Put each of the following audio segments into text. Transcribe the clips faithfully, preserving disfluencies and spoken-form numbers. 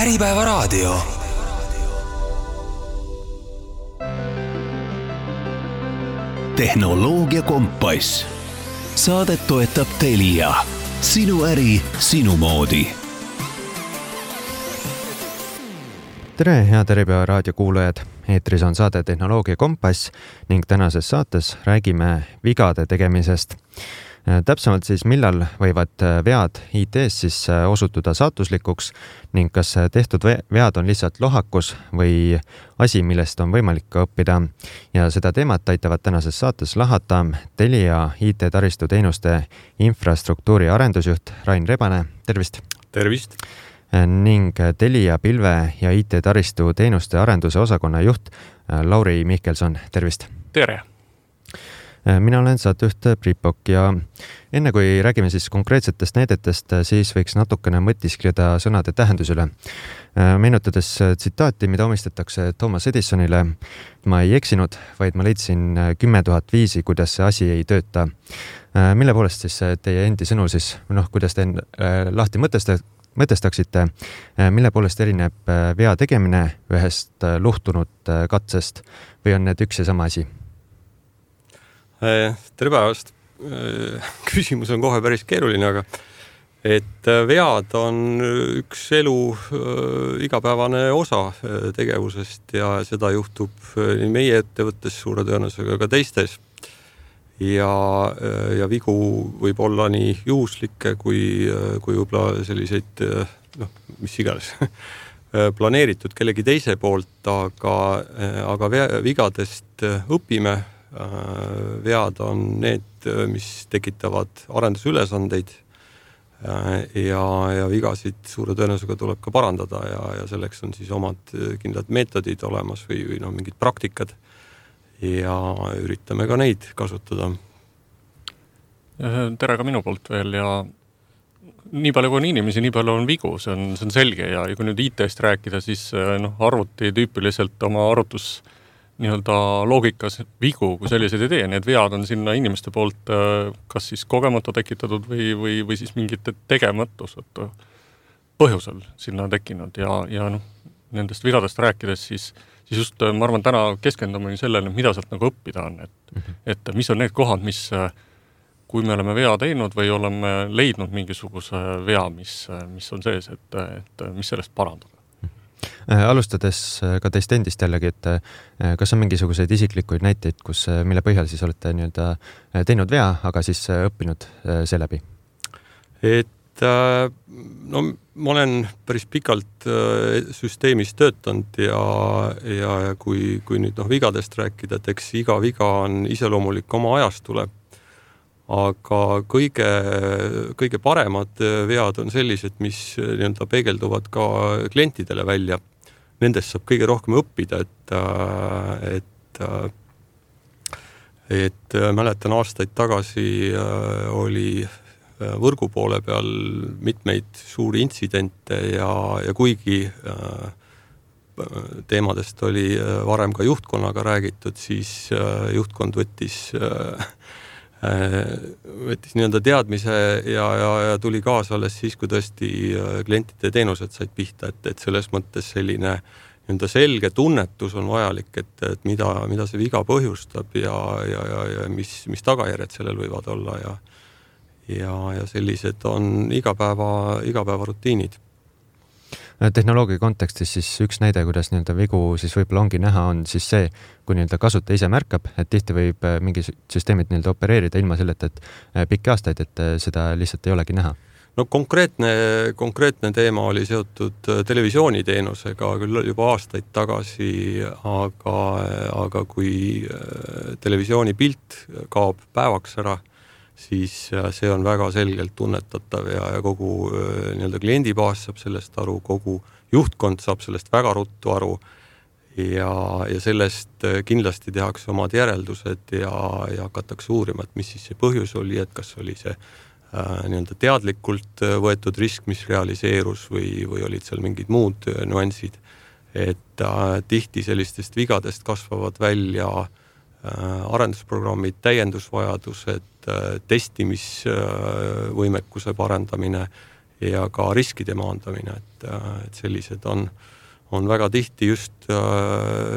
Äripäevaraadio. Tehnoloogia kompass. Saadet toetab Telia. Sinu äri, sinu moodi. Tere, head Äripäevaraadio kuulajad! Eetris on saade Tehnoloogia kompass ning tänases saates räägime vigade tegemisest. Täpsemalt siis, millal võivad vead I T-s siis osutuda saatuslikuks ning kas tehtud vead on lihtsalt lohakus või asi, millest on võimalik ka õppida. Ja seda teemat aitavad tänases saates lahata Telia I T-taristu teenuste infrastruktuuri arendusjuht Rain Rebane. Tervist! Tervist! Ning Telia pilve ja I T-taristu teenuste arenduse osakonna juht Lauri Mihkelson. Tervist! Tere! Mina olen saatejuht Priipok ja enne kui räägime siis konkreetsetest näidetest, siis võiks natukene mõtiskleda sõnade tähendus üle. Meenutades tsitaati, mida omistatakse Thomas Edisonile, ma ei eksinud, vaid ma leidsin kümme tuhat viisi, kuidas see asi ei tööta. Mille poolest siis teie endi sõnul siis, noh, kuidas te lahti mõtestaksite, mille poolest erineb vea tegemine ühest luhtunud katsest või on need üks ja sama asi? Tere päevast. Küsimus on kohe päris keeruline, aga et vead on üks elu igapäevane osa tegevusest ja seda juhtub nii meie ettevõttes suure tõenäosusega ka teistes. Ja, ja vigu võib olla nii juhuslikke kui, kui võib-olla selliseid, noh, mis iganes, planeeritud kellegi teise poolt, aga, aga vigadest õpime. Vead on need, mis tekitavad arendusülesandeid ja, ja vigasid suure tõenäosusega tuleb ka parandada ja, ja selleks on siis omad kindlad meetodid olemas või, või no, mingid praktikad ja üritame ka neid kasutada. Tere ka minu poolt veel ja nii palju kui on inimesi, nii palju on vigu, see on, see on selge ja, ja kui nüüd I T-st rääkida, siis noh, arvuti tüüpiliselt oma arvutus nii-öelda loogikas vigu, kui selliseid ei tee. Need vead on sinna inimeste poolt kas siis kogemata tekitatud või, või, või siis mingite tegematused põhjusel sinna tekkinud ja, ja noh, nendest vigadest rääkides siis, siis just ma arvan täna keskendume sellele, mida sealt nagu õppida on, et, mm-hmm. et mis on need kohad, mis kui me oleme vea teinud või oleme leidnud mingisuguse vea, mis, mis on sees, et, et mis sellest parandada. Alustades ka teist endist jällegi, et kas on mingisuguseid isiklikuid näiteid, kus, mille põhjal siis olete nii-öelda teinud vea, aga siis õppinud seeläbi? Et no, ma olen päris pikalt süsteemis töötanud ja, ja kui, kui nüüd noh, vigadest rääkida, et eks iga viga on iseloomulik oma ajastule. Aga kõige, kõige paremad vead on sellised, mis nii-öelda peegelduvad ka klientidele välja. Nendest saab kõige rohkem õppida, et, et, et mäletan aastaid tagasi oli võrgu poole peal mitmeid suuri intsidente ja, ja kuigi teemadest oli varem ka juhtkonnaga räägitud, siis juhtkond võttis võttis nii-öelda teadmise ja, ja, ja tuli kaasa alles siis, kui tõesti klientide teenused said pihta, et, et selles mõttes selline nii-öelda selge tunnetus on vajalik, et, et mida, mida see viga põhjustab ja, ja, ja, ja mis, mis tagajärjed sellel võivad olla ja, ja, ja sellised on igapäeva, igapäeva rutiinid. Tehnoloogia kontekstis siis üks näide, kuidas nii-öelda vigu siis võib-olla ongi näha, on siis see, kui nii-öelda kasutaja ise märkab, et tihti võib mingi süsteemid nii-öelda opereerida ilma selleta, et pikki aastaid, et seda lihtsalt ei olegi näha. No konkreetne, konkreetne teema oli seotud televisiooniteenusega küll juba aastaid tagasi, aga, aga kui televisiooni pilt kaob päevaks ära, siis see on väga selgelt tunnetatav ja, ja kogu nii-öelda kliendibaas saab sellest aru, kogu juhtkond saab sellest väga ruttu aru ja, ja sellest kindlasti tehakse omad järeldused ja, ja hakatakse uurima, et mis siis see põhjus oli, et kas oli see äh, nii-öelda teadlikult võetud risk, mis realiseerus või, või olid seal mingid muud nüansid, et äh, tihti sellistest vigadest kasvavad välja arendusprogrammid, täiendusvajadused, testimisvõimekuse parandamine ja ka riskide maandamine, et, et sellised on, on väga tihti just äh,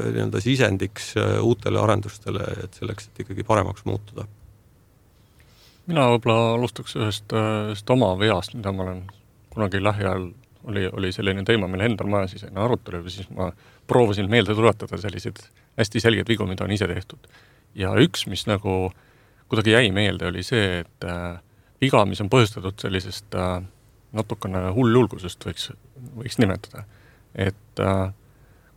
nii-öelda sisendiks uutele arendustele, et selleks, et ikkagi paremaks muutuda. Mina võib-olla alustaks ühest, ühest oma veast, mida ma olen kunagi lähiajal oli, oli selline teema, mille endal maja sisene arutelu, ja siis ma proovisin meelde tuletada sellised hästi selged vigu, mida on ise tehtud. Ja üks, mis nagu kuidagi jäi meelde, oli see, et äh, viga, mis on põhjustatud sellisest äh, natukene hulljulgusest võiks, võiks nimetada. Et äh,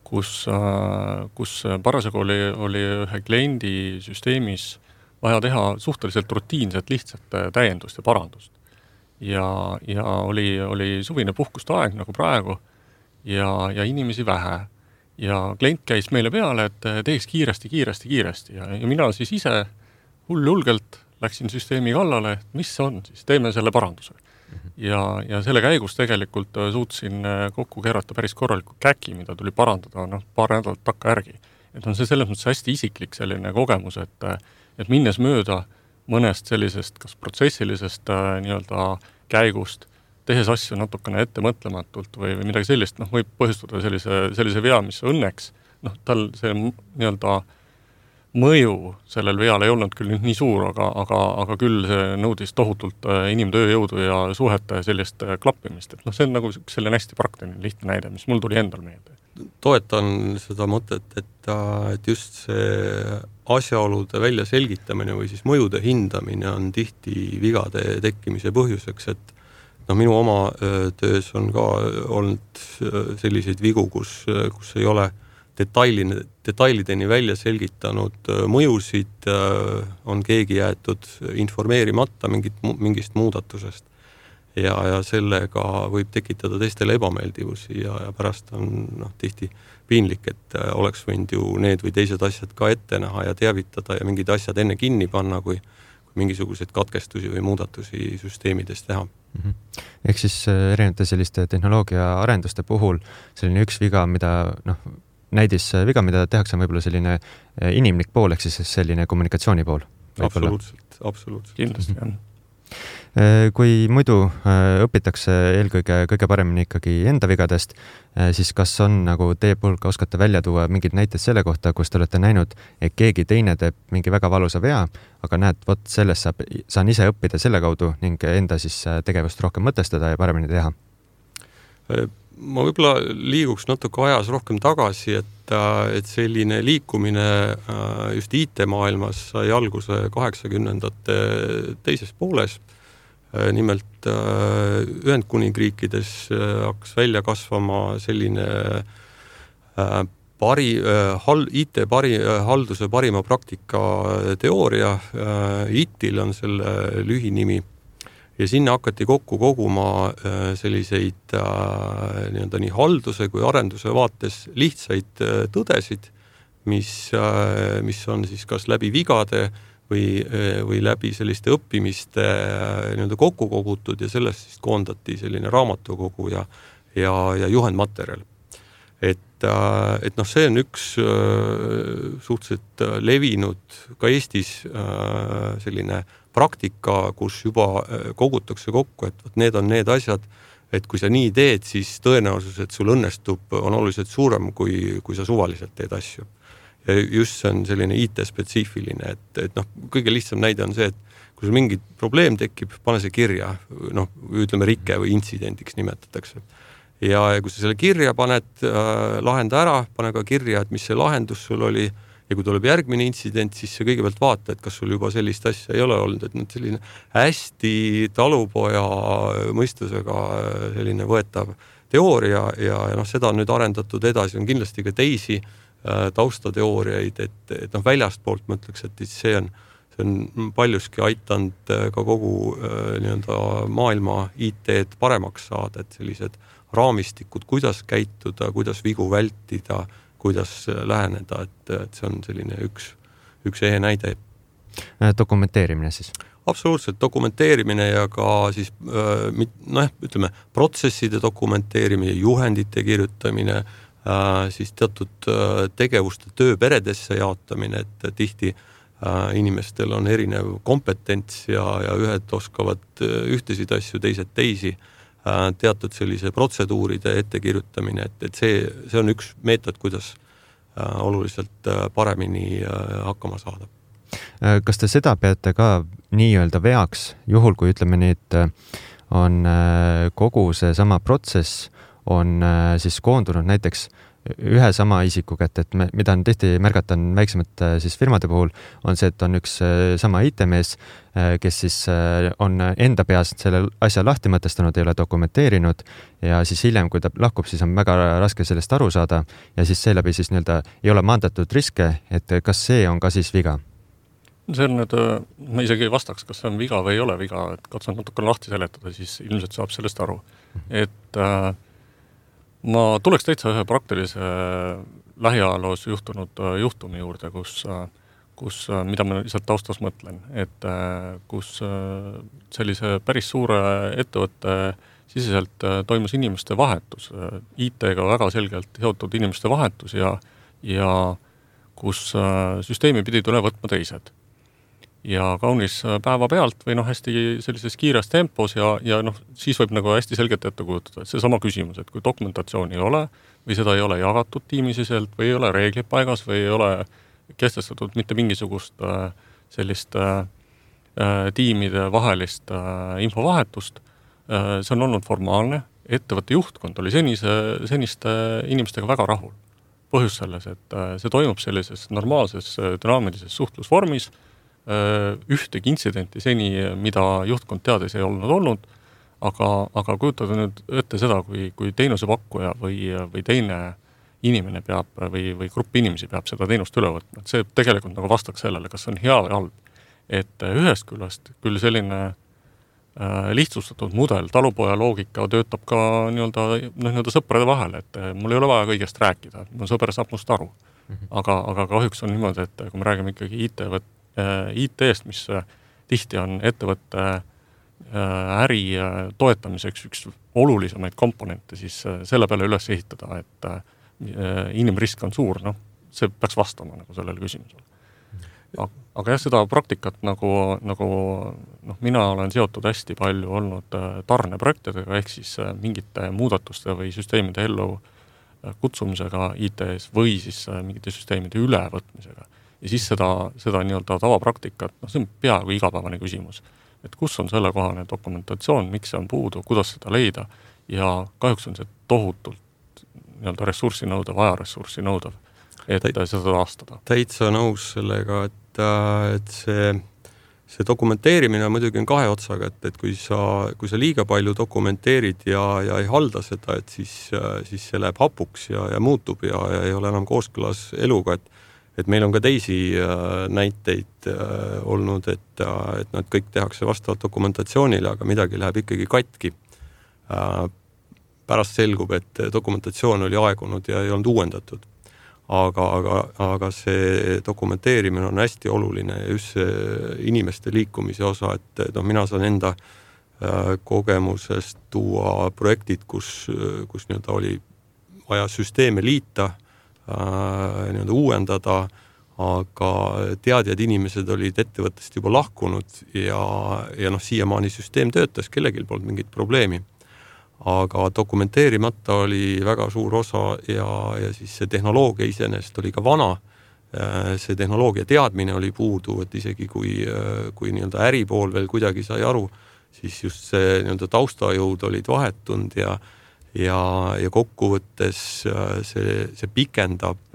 kus, äh, kus parasjagu oli, oli ühe kliendi süsteemis vaja teha suhteliselt rutiinset, lihtsat täiendust ja parandust. Ja, ja oli, oli suvine puhkuste aeg nagu praegu ja, ja inimesi vähe. Ja klient käis meile peale, et teeks kiiresti, kiiresti, kiiresti. Ja, ja mina siis ise hulljulgelt läksin süsteemi kallale, et mis on, siis teeme selle paranduse. Ja, ja selle käigus tegelikult suutsin kokku keerata päris korraliku käki, mida tuli parandada no, paar nädalat takka järgi. Et on see selles mõttes hästi isiklik selline kogemus, et et minnes mööda mõnest sellisest kas protsessilisest äh, nii-öelda käigust, tehes asju natukene ettemõtlematult või, või midagi sellist, noh, võib põhjustada sellise, sellise vea, mis õnneks, noh, tal see nii-öelda mõju sellel veal ei olnud küll nii suur, aga, aga, aga küll see nõudis tohutult äh, inimtööjõudu ja suhete sellist äh, klappimist, et noh, see on nagu selline hästi praktiline lihtne näide, mis mul tuli endal meelde. Toetan seda mõtet, et, et just see asjaolude välja selgitamine või siis mõjude hindamine on tihti vigade tekkimise põhjuseks, et no minu oma töös on ka olnud selliseid vigu, kus, kus ei ole detailine, detailideni välja selgitanud mõjusid, on keegi jäetud informeerimata mingit, mingist muudatusest. Ja, ja sellega võib tekitada teistele ebameeldivusi ja, ja pärast on noh, tihti piinlik, et oleks võinud ju need või teised asjad ka ette näha ja teavitada ja mingid asjad enne kinni panna, kui, kui mingisuguseid katkestusi või muudatusi süsteemides teha. Mm-hmm. Ehk siis erinevate selliste tehnoloogia arenduste puhul selline üks viga, mida noh, näidis viga, mida tehakse, on võib-olla selline inimlik pool, ehk siis selline kommunikatsiooni pool. Absoluutselt, absoluutselt. Kindlasti on. Kui muidu õpitakse eelkõige kõige paremini ikkagi enda vigadest, siis kas on nagu teie puhul ka oskate välja tuua mingid näited selle kohta, kus te olete näinud, et keegi teine teeb mingi väga valusa vea, aga näed, vot sellest saab, saan ise õppida selle kaudu ning enda siis tegevust rohkem mõtestada ja paremini teha? Ma võib-olla liiguks natuke ajas rohkem tagasi, et, et selline liikumine just I T-maailmas sai alguse kaheksakümnendate teises pooles. Nimelt Ühendkuningriikides hakkas välja kasvama selline pari, I T pari, halduse parima praktika teooria. I T-il on selle lühinimi ja sinna hakati kokku koguma selliseid nii-öelda nii halduse kui arenduse vaates lihtsaid tõdesid, mis, mis on siis kas läbi vigade või, või läbi selliste õppimiste nii-öelda kokku kogutud ja sellest siis koondati selline raamatukogu ja, ja, ja juhendmaterjal. Et, et noh, see on üks suhteliselt levinud ka Eestis selline praktika, kus juba kogutakse kokku, et need on need asjad, et kui sa nii teed, siis tõenäosus, et sul õnnestub, on oluliselt suurem, kui, kui sa suvaliselt teed asju. Ja just see on selline I T-spetsiifiline, et, et noh, kõige lihtsam näide on see, et kui sul mingi probleem tekib, pane see kirja, noh, ütleme rike või intsidendiks nimetatakse. Ja kui sa selle kirja paned, äh, lahenda ära, pane ka kirja, et mis see lahendus sul oli ja kui tuleb järgmine intsident, siis see kõigepealt vaata, et kas sul juba sellist asja ei ole olnud, et nüüd selline hästi talupoja mõistusega selline võetav teooria ja, ja noh, seda on nüüd arendatud edasi, on kindlasti ka teisi taustateooriaid, et, et noh, väljastpoolt ma ütleks, et see on, see on paljuski aitanud ka kogu nii-öelda maailma I T-d paremaks saada, et sellised raamistikud, kuidas käituda, kuidas vigu vältida, kuidas läheneda, et, et see on selline üks, üks ehe näide. Dokumenteerimine siis? Absoluutselt, dokumenteerimine ja ka siis, noh, ütleme, protsesside dokumenteerimine, juhendite kirjutamine, siis teatud tegevuste tööperedesse jaotamine, et tihti inimestel on erinev kompetents ja, ja ühed oskavad ühtesid asju, teised teisi. teatud sellise protseduuride ettekirjutamine, et, et see, see on üks meetod, kuidas oluliselt paremini hakkama saada. Kas te seda peate ka nii-öelda veaks, juhul kui ütleme nii, et on kogu see sama protsess on siis koondunud näiteks ühe sama isiku kätte, et me, mida on tihti märgata on väiksemate siis firmade puhul, on see, et on üks sama I T-mees, kes siis on enda peas selle asja lahti mõtestanud, ei ole dokumenteerinud ja siis hiljem, kui ta lahkub, siis on väga raske sellest aru saada ja siis seeläbi siis nii-öelda ei ole maandatud riske, et kas see on ka siis viga? See on nüüd, ma isegi ei vastaks, kas see on viga või ei ole viga, et katsun natuke lahti seletada, siis ilmselt saab sellest aru. Et äh, ma tuleks täitsa ühe praktilise lähiajaloos juhtunud juhtumi juurde, kus, kus, mida ma lihtsalt taustas mõtlen, et kus sellise päris suure ettevõtte siseselt toimus inimeste vahetus, I T-ga väga selgelt seotud inimeste vahetus ja, ja kus süsteemi pidid üle võtma teised. Ja kaunis päeva pealt või noh, hästi sellises kiires tempos ja, ja noh, siis võib nagu hästi selgelt ette kujutada, et see sama küsimus, et kui dokumentatsiooni ei ole või seda ei ole jagatud tiimisiselt või ei ole reeglid paigas või ei ole kestestatud mitte mingisugust äh, sellist äh, tiimide vahelist äh, infovahetust, äh, see on olnud formaalne, ettevõtte juhtkond oli senise, seniste inimestega väga rahul. Põhjus selles, et äh, see toimub sellises normaalses dünaamilises suhtlusvormis, ühtegi intsidenti seni, mida juhtkond teades ei olnud olnud, aga, aga kujutada nüüd ette seda, kui, kui teenusepakkuja või, või teine inimene peab või, või grupp inimesi peab seda teenust üle võtma. Et see tegelikult nagu vastaks sellele, kas on hea või halb. Et ühest küljest küll selline äh, lihtsustatud mudel, talupoja loogika töötab ka nii-öelda, noh, nii-öelda sõprade vahel, et mul ei ole vaja kõigest rääkida, mu sõber saab must aru. Aga, aga kahjuks on niimoodi, et kui me räägime ikkagi I T-võt I T-st, mis tihti on ettevõtte äri toetamiseks üks olulisemaid komponente, siis selle peale üles ehitada, et inimrisk on suur, noh, see peaks vastama nagu sellele küsimusele. Aga jah, seda praktikat nagu, nagu noh, mina olen seotud hästi palju olnud tarneprojektidega, ehk siis mingite muudatuste või süsteemide ellu kutsumisega I T-s või siis mingite süsteemide ülevõtmisega. Ja siis seda, seda nii-öelda tavapraktikat, noh, see on peaaegu igapäevane küsimus, et kus on selle kohane dokumentatsioon, miks see on puudu, kuidas seda leida ja kahjuks on see tohutult nii-öelda ressurssi nõudev, ajaressurssi nõudev, et Täit, seda taastada. Täitsa nõus sellega, et, et see, see dokumenteerimine muidugi on kahe otsaga, et, et kui sa, kui sa liiga palju dokumenteerid ja, ja ei halda seda, et siis, siis see läheb hapuks ja, ja muutub ja, ja ei ole enam kooskõlas eluga, et et meil on ka teisi äh, näiteid äh, olnud, et, äh, et nad kõik tehakse vastavalt dokumentatsioonile, aga midagi läheb ikkagi katki. Äh, pärast selgub, et dokumentatsioon oli aegunud ja ei olnud uuendatud. Aga, aga, aga see dokumenteerimine on hästi oluline ja just see inimeste liikumise osa, et no, mina saan enda äh, kogemusest tuua projektid, kus, kus nii-öelda oli vaja süsteeme liita, nii-öelda uuendada, aga teadjad inimesed olid ettevõttest juba lahkunud ja, ja noh, siiamaani süsteem töötas, kellegil polnud mingit probleemi. Aga dokumenteerimata oli väga suur osa ja, ja siis see tehnoloogia iseenesest oli ka vana. See tehnoloogia teadmine oli puudu, et isegi kui, kui nii-öelda äripool veel kuidagi sai aru, siis just see nii-öelda taustajõud olid vahetunud ja Ja, ja kokkuvõttes see, see pikendab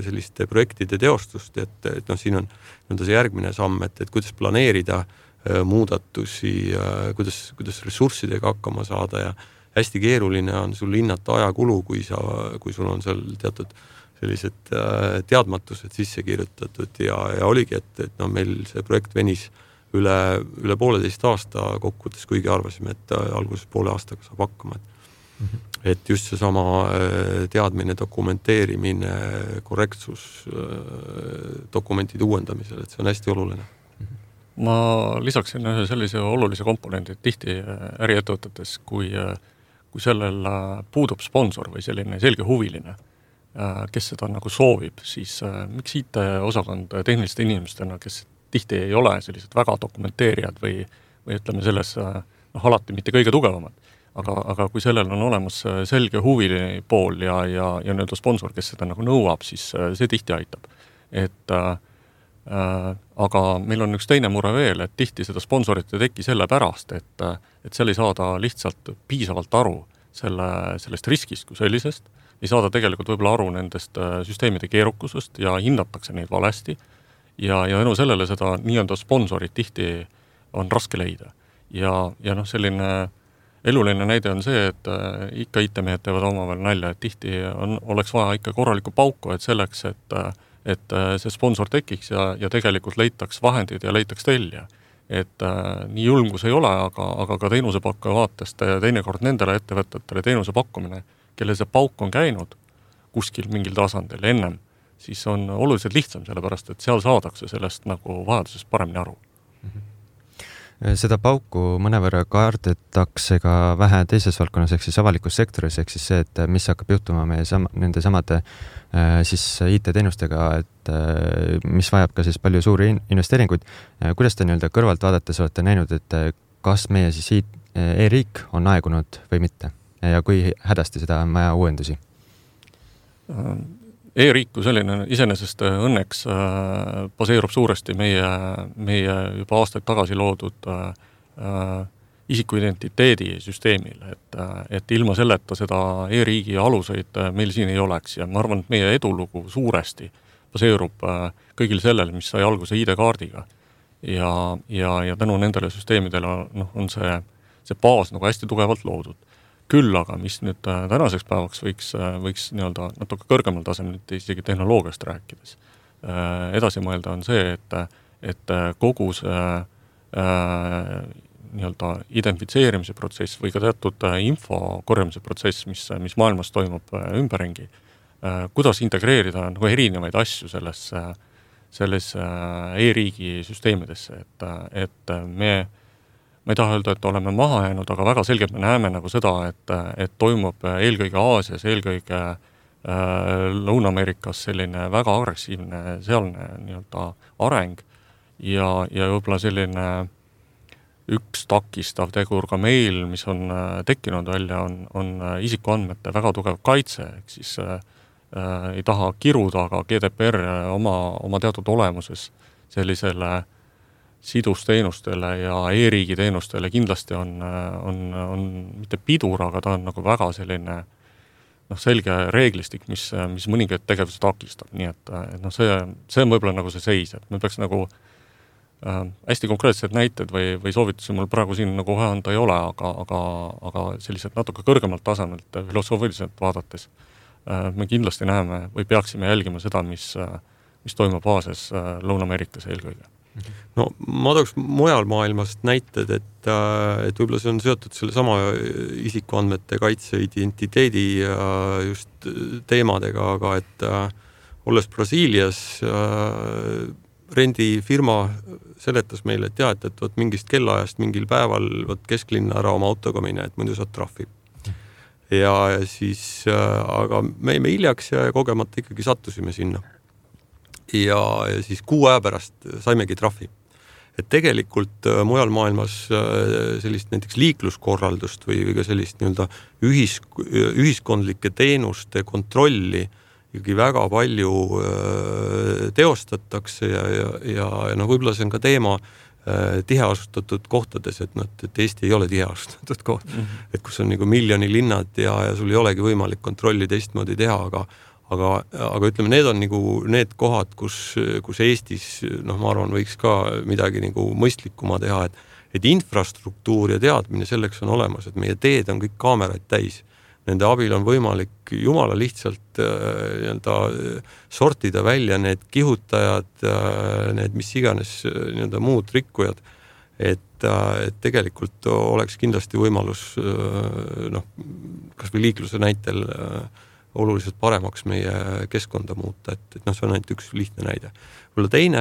selliste projektide teostust, et, et noh, siin on nii-öelda see järgmine samm, et, et kuidas planeerida muudatusi, kuidas, kuidas ressurssidega hakkama saada ja hästi keeruline on sul hinnata ajakulu, kui, sa, kui sul on seal teatud sellised teadmatused sisse kirjutatud ja, ja oligi, et, et no, meil see projekt venis üle, üle pooleteist aasta kokkuvõttes, kuigi arvasime, et alguses poole aastaga saab hakkama, et et just see sama teadmine, dokumenteerimine, korrektsus dokumentide uuendamisel, et see on hästi oluline. Ma lisaksin ühe sellise olulise komponendi, et tihti äriettevõtetes, kui, kui sellel puudub sponsor või selline selge huviline, kes seda nagu soovib, siis miks I T-osakond tehniliste inimestena, kes tihti ei ole sellised väga dokumenteerijad või, või ütleme selles noh, alati mitte kõige tugevamad, aga, aga kui sellel on olemas selge huvi pool ja, ja, ja nii-öelda sponsor, kes seda nagu nõuab, siis see tihti aitab. Et äh, aga meil on üks teine mure veel, et tihti seda sponsorit ei teki selle pärast, et, et seal ei saada lihtsalt piisavalt aru selle, sellest riskist kui sellisest, ei saada tegelikult võib-olla aru nendest süsteemide keerukusest ja hinnatakse neid valesti ja, ja enu sellele seda nii-öelda sponsorit tihti on raske leida. Ja, ja noh, selline eluline näide on see, et ikka I T-mehed teevad omavahel nalja, et tihti on, oleks vaja ikka korralikku pauku, et selleks, et et see sponsor tekiks ja, ja tegelikult leitaks vahendid ja leitaks telja. Et äh, nii julgus ei ole, aga, aga ka teenusepakkuja vaatest teinekord nendele ettevõtetele teenuse pakkumine, kelle see pauk on käinud kuskil mingil tasandil ennem, siis on oluliselt lihtsam, sellepärast, et seal saadakse sellest nagu vajadusest paremini aru. Mm-hmm. Seda pauku mõnevõrra kaardetakse ka vähe teises valdkonnas, ehk siis avalikus sektoris, ehk siis see, et mis hakkab juhtuma meie sam- nende samade siis I T-teenustega, et mis vajab ka siis palju suuri investeeringuid. Kuidas te nii-öelda kõrvalt vaadates olete näinud, et kas meie siis e-riik on aegunud või mitte ja kui hädasti seda on vaja uuendusi? E-riik kui selline iseenesest õnneks baseerub suuresti meie, meie juba aastaid tagasi loodud isikuidentiteedi süsteemil, et, et ilma selleta seda e-riigi aluseid meil siin ei oleks ja ma arvan, et meie edulugu suuresti baseerub kõigil sellel, mis sai alguse I D-kaardiga ja, ja, ja tänu nendele süsteemidele noh, on see, see baas nagu hästi tugevalt loodud. Küll aga, mis nüüd tänaseks päevaks võiks, võiks nii-öelda natuke kõrgemal tasemel isegi tehnoloogiast rääkides edasi mõelda on see, et, et kogu see nii-öelda identifitseerimise protsess või ka teatud info korjamise protsess, mis, mis maailmas toimub ümberringi, kuidas integreerida nagu erinevaid asju sellesse, sellesse e-riigi süsteemidesse, et, et me, ma ei taha öelda, et oleme maha jäänud, aga väga selgelt me näeme nagu seda, et, et toimub eelkõige Aasias, eelkõige Lõuna-Ameerikas selline väga agressiivne sealne nii-öelda areng ja, ja võib-olla selline üks takistav tegur ka meil, mis on tekkinud välja, on, on isikuandmete väga tugev kaitse, ehk siis äh, ei taha kiruda, aga G D P R oma, oma teatud olemuses sellisele sidusteenustele ja e-riigi teenustele kindlasti on, on, on mitte pidur, aga ta on nagu väga selline noh, selge reeglistik, mis, mis mõningaid tegevusi takistab, nii et, et noh, see, see on võib-olla nagu see seis, et me peaks nagu äh, hästi konkreetsed näited või, või soovitusi mul praegu siin nagu kohe anda ei ole, aga, aga, aga sellised natuke kõrgemalt tasemelt filosoofiliselt vaadates äh, me kindlasti näeme või peaksime jälgima seda, mis, mis toimub Aasias, äh, Lõuna-Ameerikas eelkõige. No ma tooks mujal maailmast näited, et, et võib-olla see on seotud selle sama isikuandmete kaitse identiteedi just teemadega, aga et olles Brasiilias rendifirma seletas meile, et jah, et, et võt mingist kellaajast mingil päeval võt kesklinna ära oma autoga mine, et muidu saad trahvi. Ja siis, aga me jäime hiljaks ja kogemata ikkagi sattusime sinna. Ja, ja siis kuu aja pärast saimegi trahvi. Et tegelikult mujal maailmas sellist näiteks liikluskorraldust või, või ka sellist nii-öelda ühis, ühiskondlike teenuste kontrolli ikkagi väga palju teostatakse ja, ja, ja, ja no võib-olla see on ka teema tiheasustatud kohtades, et, no, et Eesti ei ole tiheasustatud koht, mm-hmm. et kus on nagu miljoni linnad ja, ja sul ei olegi võimalik kontrolli teistmoodi teha, aga Aga, aga ütleme, need on nagu need kohad, kus, kus Eestis, noh, ma arvan, võiks ka midagi nagu mõistlikuma teha, et, et infrastruktuur ja teadmine selleks on olemas, et meie teed on kõik kaameraid täis. Nende abil on võimalik jumala lihtsalt nii-öelda sortida välja need kihutajad, need mis iganes nii-öelda muud rikkujad, et, et tegelikult oleks kindlasti võimalus, noh, kas või liikluse näitel oluliselt paremaks meie keskkonda muuta, et, et noh, see on ainult üks lihtne näide. Võib-olla teine,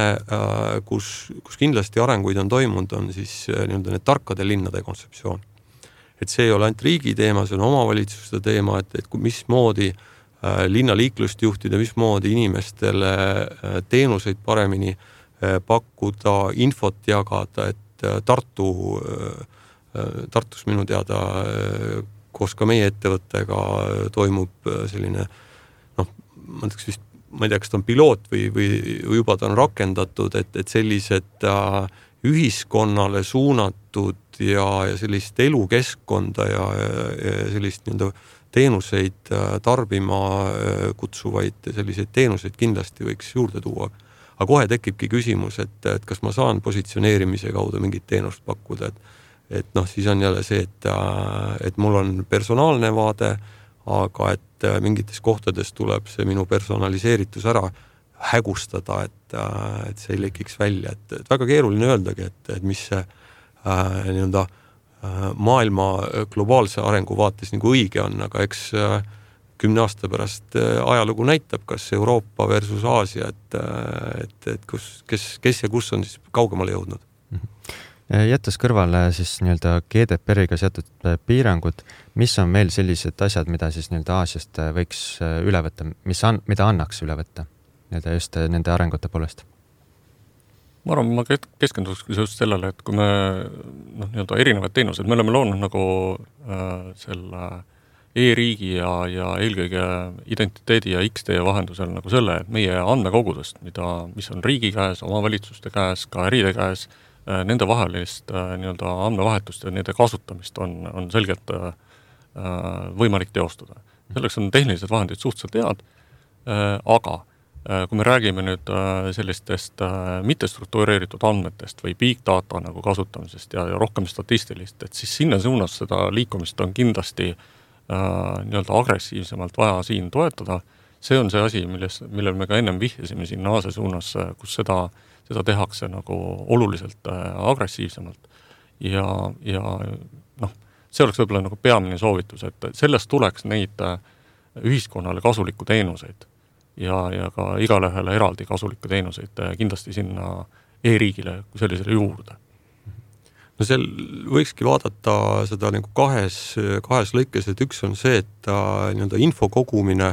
kus, kus kindlasti arenguid on toimunud, on siis nii-öelda need tarkade linnade kontseptsioon. Et see ei ole ainult riigi teema, see on omavalitsuste teema, et, et mismoodi linnaliiklust juhtida, mismoodi inimestele teenuseid paremini pakkuda, infot jagada, et Tartu Tartus minu teada koos ka meie ettevõttega toimub selline, noh, ma ütleks vist, ma ei tea, kas ta on piloot või, või, või juba ta on rakendatud, et, et sellised äh, ühiskonnale suunatud ja, ja sellist elukeskkonda ja, ja sellist nii-öelda teenuseid tarbima kutsuvaid selliseid teenuseid kindlasti võiks juurde tuua. Aga kohe tekibki küsimus, et, et kas ma saan positsioneerimise kaudu mingit teenust pakkuda, et, et noh, siis on jälle see, et, et mul on personaalne vaade, aga et mingites kohtades tuleb see minu personaliseeritus ära hägustada, et, et see ei lekiks välja, et, et väga keeruline öeldagi, et, et mis see äh, nii-öelda maailma globaalse arengu vaates nagu õige on, aga eks kümne aasta pärast ajalugu näitab, kas Euroopa versus Aasia, et, et, et kus, kes, kes ja kus on siis kaugemale jõudnud. Jättes kõrvale siis nii-öelda G D P R-iga seatud piirangud, mis on veel sellised asjad, mida siis nii-öelda Aasiast võiks üle võtta, mis an, mida annaks üle võtta nii-öelda just nende arengute poolest? Ma arvan, ma keskenduks just sellele, et kui me noh, nii-öelda erinevad teenused, me oleme loonud nagu äh, selle e-riigi ja, ja eelkõige identiteedi ja X T vahendusel nagu selle, et meie andmekogudest, mida, mis on riigi käes, omavalitsuste käes, ka äride käes, äh, nende vahelist äh, nii-öelda andmevahetust ja nende kasutamist on, on selgelt äh, võimalik teostada. Selleks on tehnilised vahendid suhteliselt head, äh, aga kui me räägime nüüd sellistest mittestruktureeritud andmetest või big data nagu kasutamisest ja, ja rohkem statistilist, et siis sinna suunas seda liikumist on kindlasti äh, nii-öelda agressiivsemalt vaja siin toetada. See on see asi, milles, millel me ka ennem vihjasime siin Aasia suunas, kus seda, seda tehakse nagu oluliselt äh, agressiivsemalt. Ja, ja noh, see oleks võib-olla nagu peamine soovitus, et sellest tuleks neid ühiskonnale kasulikku teenuseid ja, ja ka igalehele eraldi kasulikku teenuseid kindlasti sinna e-riigile kui sellisele juurde. No seal võikski vaadata seda nagu kahes, kahes lõikes, et üks on see, et nii-öelda info kogumine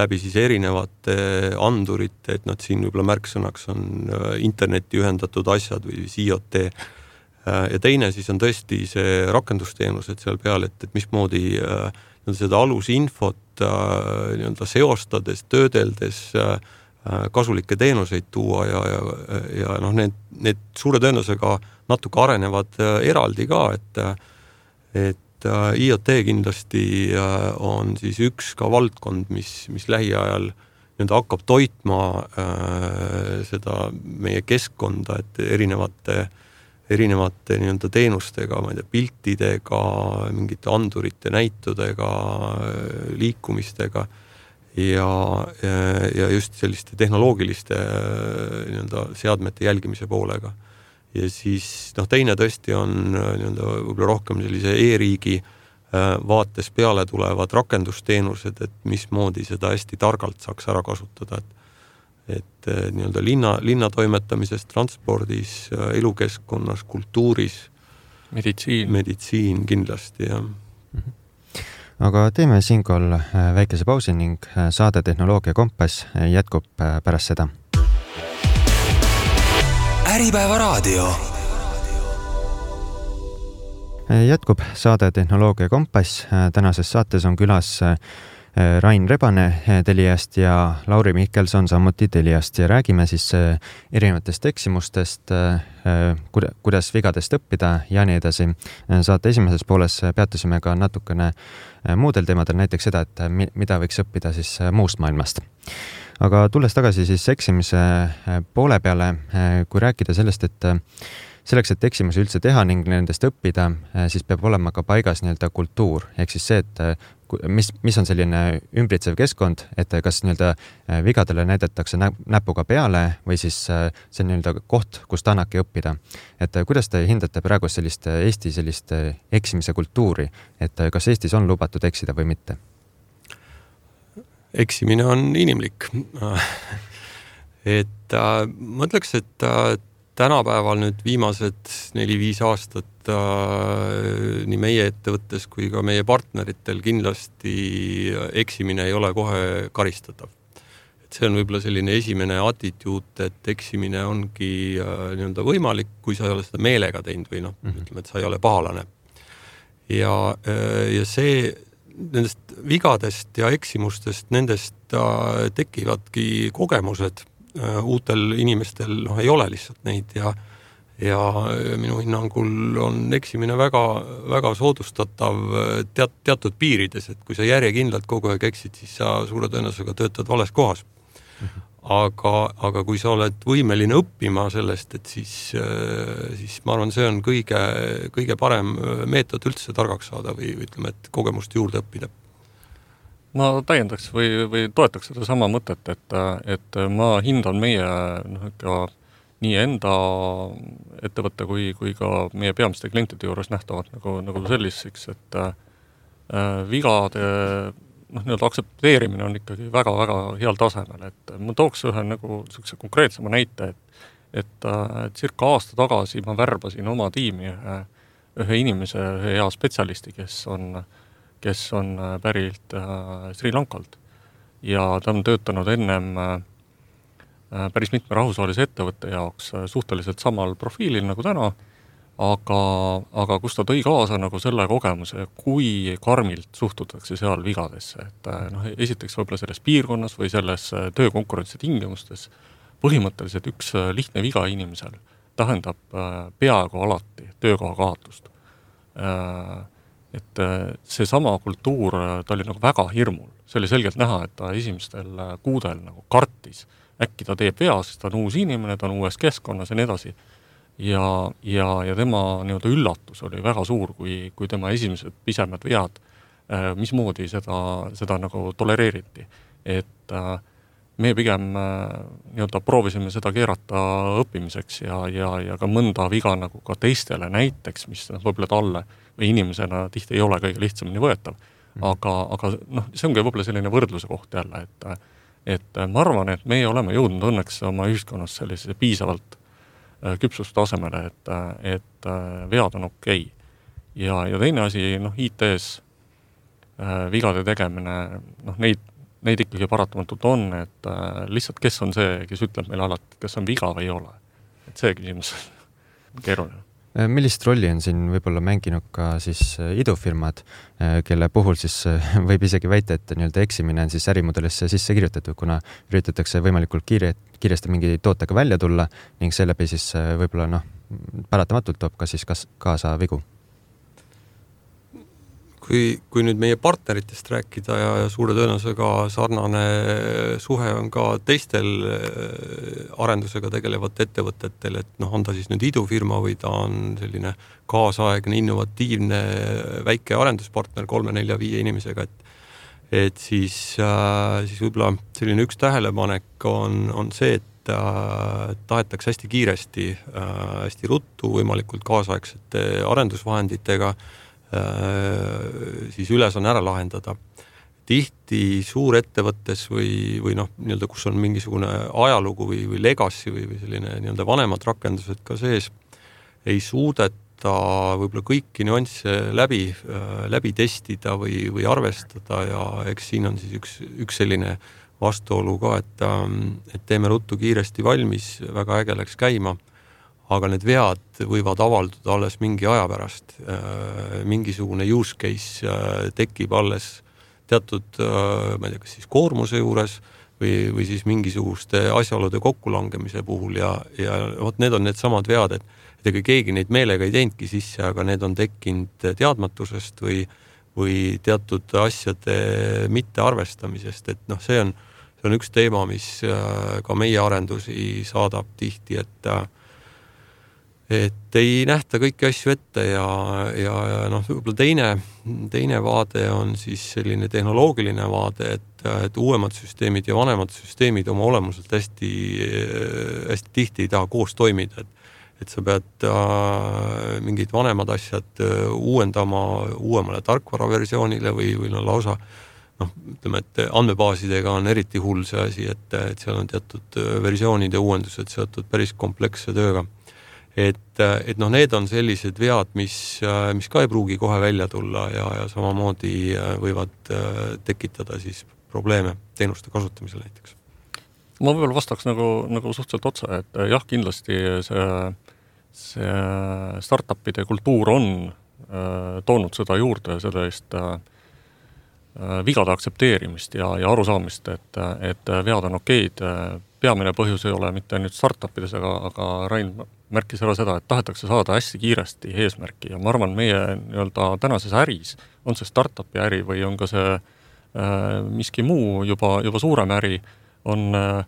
läbi siis erinevate andurite, et nad siin võib-olla märksõnaks on interneti ühendatud asjad või I O T. Ja teine siis on tõesti see rakendusteenused seal peal, et, et mismoodi seda alusinfot nii-öelda seostades, töödeldes kasulikke teenuseid tuua ja, ja, ja noh, need, need suure tõenäosusega natuke arenevad eraldi ka, et, et I O T kindlasti on siis üks ka valdkond, mis, mis lähiajal nii-öelda hakkab toitma äh, seda meie keskkonda, et erinevate erinevate nii-öelda teenustega, ma ei tea, piltidega, mingite andurite näitudega, liikumistega ja, ja just selliste tehnoloogiliste nii-öelda seadmete jälgimise poolega. Ja siis noh, teine tõesti on nii-öelda võib-olla rohkem sellise e-riigi vaates peale tulevad rakendusteenused, et mismoodi seda hästi targalt saaks ära kasutada, et et nii-öelda linna, linna toimetamises, transpordis, elukeskkonnas, kultuuris, meditsiin, meditsiin kindlasti, jah. Aga teeme siinkohal väikese pausi ning saade Tehnoloogia Kompass jätkub pärast seda. Äripäeva raadio. Jätkub saade Tehnoloogia Kompass. Tänases saates on külas Rain Rebane Teliast ja Lauri Mihkelson samuti Teliast ja räägime siis erinevatest eksimustest, kuidas vigadest õppida ja nii edasi. Saate esimeses pooles peatusime ka natukene muudel teemadel, näiteks seda, et mida võiks õppida siis muust maailmast. Aga tulles tagasi siis eksimise poole peale, kui rääkida sellest, et selleks, et eksimusi üldse teha ning nendest õppida, siis peab olema ka paigas nii-öelda kultuur. Ehk siis see, et mis, mis on selline ümbritsev keskkond, et kas nii-öelda vigadele näidatakse näpuga peale või siis see nii-öelda koht, kust annabki õppida. Et kuidas te hindate praegu sellist Eesti sellist eksimise kultuuri, et kas Eestis on lubatud eksida või mitte? Eksimine on inimlik. et ma ütleks, et tänapäeval nüüd viimased neli-viis aastat äh, nii meie ettevõttes kui ka meie partneritel kindlasti eksimine ei ole kohe karistatav. Et see on võib-olla selline esimene attituud, et eksimine ongi äh, nii-öelda võimalik, kui sa ei ole seda meelega teinud või noh, mm-hmm. ütleme, et sa ei ole pahalane. ja, ja see nendest vigadest ja eksimustest, nendest tekivadki kogemused. Uutel inimestel noh, ei ole lihtsalt neid ja, ja minu hinnangul on eksimine väga, väga soodustatav teat, teatud piirides, et kui sa järjekindlalt kogu aeg eksid, siis sa suure tõenäosusega töötad vales kohas. Mm-hmm. Aga, aga kui sa oled võimeline õppima sellest, et siis, siis ma arvan, see on kõige, kõige parem meetod üldse targaks saada või ütleme, et kogemust juurde õppida. Ma täiendaks või, või toetaks seda sama mõtet, et, et ma hindan meie noh, ikka nii enda ettevõtte kui, kui ka meie peamiste klientide juures nähtavad nagu, nagu selliseks, et äh, vigade noh, nii-öelda aksepteerimine on ikkagi väga-väga heal tasemel, et ma tooks ühe nagu sellise konkreetsema näite, et, et äh, circa aasta tagasi ma värbasin oma tiimi ühe, ühe inimese, ühe hea spetsialisti, kes on kes on pärilt äh, Sri Lankalt ja ta on töötanud ennem äh, päris mitme rahvusvahelise ettevõtte jaoks äh, suhteliselt samal profiilil nagu täna, aga, aga kus ta tõi kaasa nagu selle kogemuse, kui karmilt suhtutakse seal vigadesse, et äh, noh, esiteks võib-olla selles piirkonnas või selles äh, töökonkurentsi tingimustes põhimõtteliselt üks äh, lihtne viga inimesel tähendab äh, peaaegu alati töökoha kaotust. Äh, et see sama kultuur, ta oli nagu väga hirmul. See oli selgelt näha, et ta esimestel kuudel nagu kartis. Äkki ta teeb vea, sest ta on uus inimene, ta on uues keskkonnas ja nii edasi. Ja, ja, ja tema nii-öelda üllatus oli väga suur, kui, kui tema esimesed pisemad vead, mismoodi seda, seda nagu tolereeriti. Et me pigem nii-öelda proovisime seda keerata õppimiseks ja, ja, ja ka mõnda viga nagu ka teistele näiteks, mis võib-olla talle või inimesena tihti ei ole kõige lihtsamini võetav. Aga, aga noh, see ongi võib-olla selline võrdluse koht jälle, et, et ma arvan, et meie oleme jõudnud õnneks oma ühiskonnas sellise piisavalt küpsustasemele, et, et vead on okei. Ja, ja teine asi, noh, I T-s vigade tegemine, noh, neid, neid ikkagi paratamatult on, et lihtsalt kes on see, kes ütleb meile alati, kas on viga või ei ole. Et see küsimus on keeruline. Millist rolli on siin võib-olla mänginud ka siis idufirmad, kelle puhul siis võib isegi väita, et nii-öelda eksimine on siis ärimudelisse sisse kirjutatud, kuna üritatakse võimalikult kiire, kiiresti mingi tootega välja tulla ning seeläbi siis võib-olla noh, paratamatult toob ka siis kas, kaasa vigu. Kui, kui nüüd meie partneritest rääkida ja, ja suure tõenäosusega sarnane suhe on ka teistel arendusega tegelevat ettevõtetel, et noh, on ta siis nüüd idufirma või ta on selline kaasaegne, innovatiivne väike arenduspartner kolme, nelja, viie inimesega, et, et siis, äh, siis võib-olla selline üks tähelepanek on, on see, et äh, tahetakse hästi kiiresti, äh, hästi ruttu, võimalikult kaasaegsete arendusvahenditega siis üles on ära lahendada. Tihti suurettevõttes või, või noh, nii-öelda, kus on mingisugune ajalugu või, või legacy või, või selline nii-öelda vanemad rakendused ka sees, ei suudeta võib-olla kõiki nüansse läbi, läbi testida või, või arvestada ja eks siin on siis üks, üks selline vastuolu ka, et, et teeme ruttu kiiresti valmis, väga äge läks käima, aga need vead võivad avalduda alles mingi aja pärast. Mingisugune use case tekib alles teatud, ma ei tea, kas siis koormuse juures või, või siis mingisuguste asjaolude kokkulangemise puhul ja, ja võt, need on need samad vead, et, et ega keegi neid meelega ei teinudki sisse, aga need on tekkinud teadmatusest või, või teatud asjade mittearvestamisest, et noh, see on, see on üks teema, mis ka meie arendusi saadab tihti, et et ei nähta kõiki asju ette ja, ja, ja noh, võib-olla teine, teine vaade on siis selline tehnoloogiline vaade, et, et uuemad süsteemid ja vanemad süsteemid oma olemuselt hästi, hästi tihti ei taha koos toimida, et, et sa pead äh, mingid vanemad asjad uuendama uuemale tarkvaraversioonile või, või no lausa noh, ütleme, et andmebaasidega on eriti hull see asi, et, et seal on teatud versioonide uuendused seotud päris kompleksse tööga. Et, et noh, need on sellised vead, mis, mis ka ei pruugi kohe välja tulla ja, ja samamoodi võivad tekitada siis probleeme teenuste kasutamisel näiteks. Ma võib-olla vastaks nagu, nagu suhteliselt otsa, et jah, kindlasti see, see startupide kultuur on toonud seda juurde sellist vigade aktsepteerimist ja, ja arusaamist, et, et vead on okeid. Peamine põhjus ei ole mitte nüüd startupides, aga, aga Rain märkis ära seda, et tahetakse saada hästi kiiresti eesmärki ja ma arvan, meie nii-öelda tänases äris, on see startupi äri või on ka see äh, miski muu juba, juba suurem äri, on äh,